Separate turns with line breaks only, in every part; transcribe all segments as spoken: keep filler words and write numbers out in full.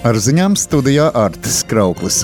Ar ziņām studijā Artis Krauklis.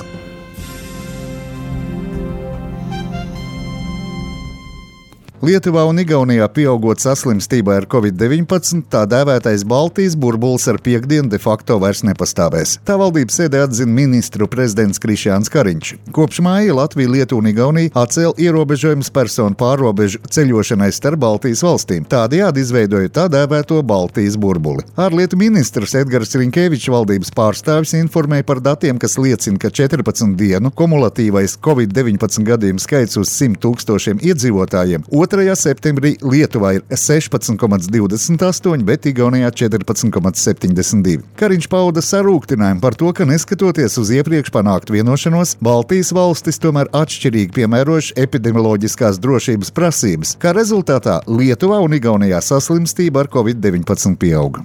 Lietuvā un Igaunijā pieaugot saslimstībai ar covid deviņpadsmit, tā dēvētais Baltijas burbulis ar piekdienu de facto vairs nepastāvēs. Tā valdības sēdē atzina ministru prezidents Krišjāns Kariņš. Kopš māja Latvija, Lietuva un Igaunija atcēla ierobežojumus personu pārrobežu ceļošanai starp Baltijas valstīm, tādējādi izveidojot tā dēvēto Baltijas burbuli. Ārlietu ministrs Edgars Rinkēvičs valdības pārstāvis informēja par datiem, kas liecina, ka četrpadsmit dienu kumulatīvais covid deviņpadsmit gadījumu skaits uz simt tūkstošiem iedzīvotājiem otrajā septembrī Lietuvā ir sešpadsmit komats divdesmit astoņi, bet Igaunijā četrpadsmit komats septiņdesmit divi. Kariņš pauda sarūktinājumu par to, ka neskatoties uz iepriekš panāktu vienošanos, Baltijas valstis tomēr atšķirīgi piemērojuši epidemioloģiskās drošības prasības, kā rezultātā Lietuvā un Igaunijā saslimstība ar covid deviņpadsmit pieauga.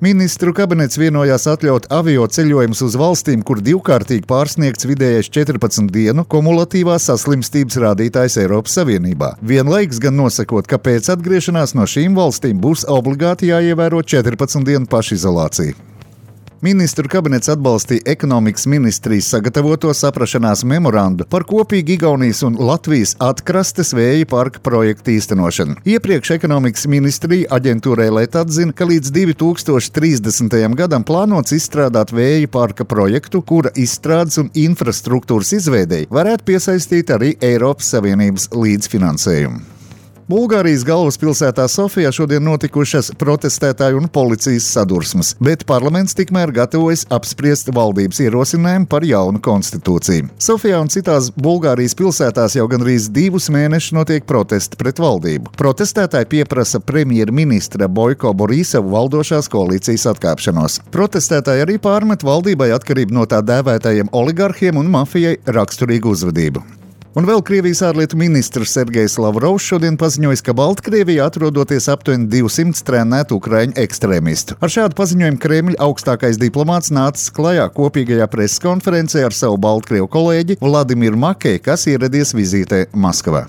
Ministru kabinets vienojās atļaut avio ceļojumus uz valstīm, kur divkārtīgi pārsniegts vidējais četrpadsmit dienu kumulatīvās saslimstības rādītājs Eiropas Savienībā. Vienlaikus gan nosakot, ka pēc atgriešanās no šīm valstīm būs obligāti jāievēro četrpadsmit dienu pašizolācija. Ministru kabinets atbalstīja ekonomikas ministrijas sagatavoto saprašanās memorandu par kopīgi Igaunijas un Latvijas atkrastes vēja parka projektu īstenošanu. Iepriekš ekonomikas ministrija aģentūrai L E T atzina, ka līdz divi tūkstoši trīsdesmitajam gadam plānots izstrādāt vēja parka projektu, kura izstrādes un infrastruktūras izveidei varētu piesaistīt arī Eiropas Savienības līdzfinansējumu. Bulgārijas galvaspilsētā Sofijā šodien notikušas protestētāju un policijas sadursmes, bet parlaments tikmēr gatavojas apspriest valdības ierosinājumu par jaunu konstitūciju. Sofijā un citās Bulgārijas pilsētās jau gandrīz divus mēnešus notiek protesti pret valdību. Protestētāji pieprasa premjerministra Boiko Borisovu valdošās koalīcijas atkāpšanos. Protestētāji arī pārmet valdībai atkarību no tā dēvētajiem oligarhiem un mafijai raksturīgu uzvedību. Un vēl Krievijas ārlietu ministrs Sergejs Lavrovs šodien paziņojis, ka Baltkrievijā atrodoties aptuveni divsimt trenētu ukraiņu ekstrēmistu. Ar šādu paziņojumu Kremļa augstākais diplomāts nācis klajā kopīgajā preses konferencē ar savu Baltkrievu kolēģi Vladimiru Makej, kas ieradies vizītē Maskavā.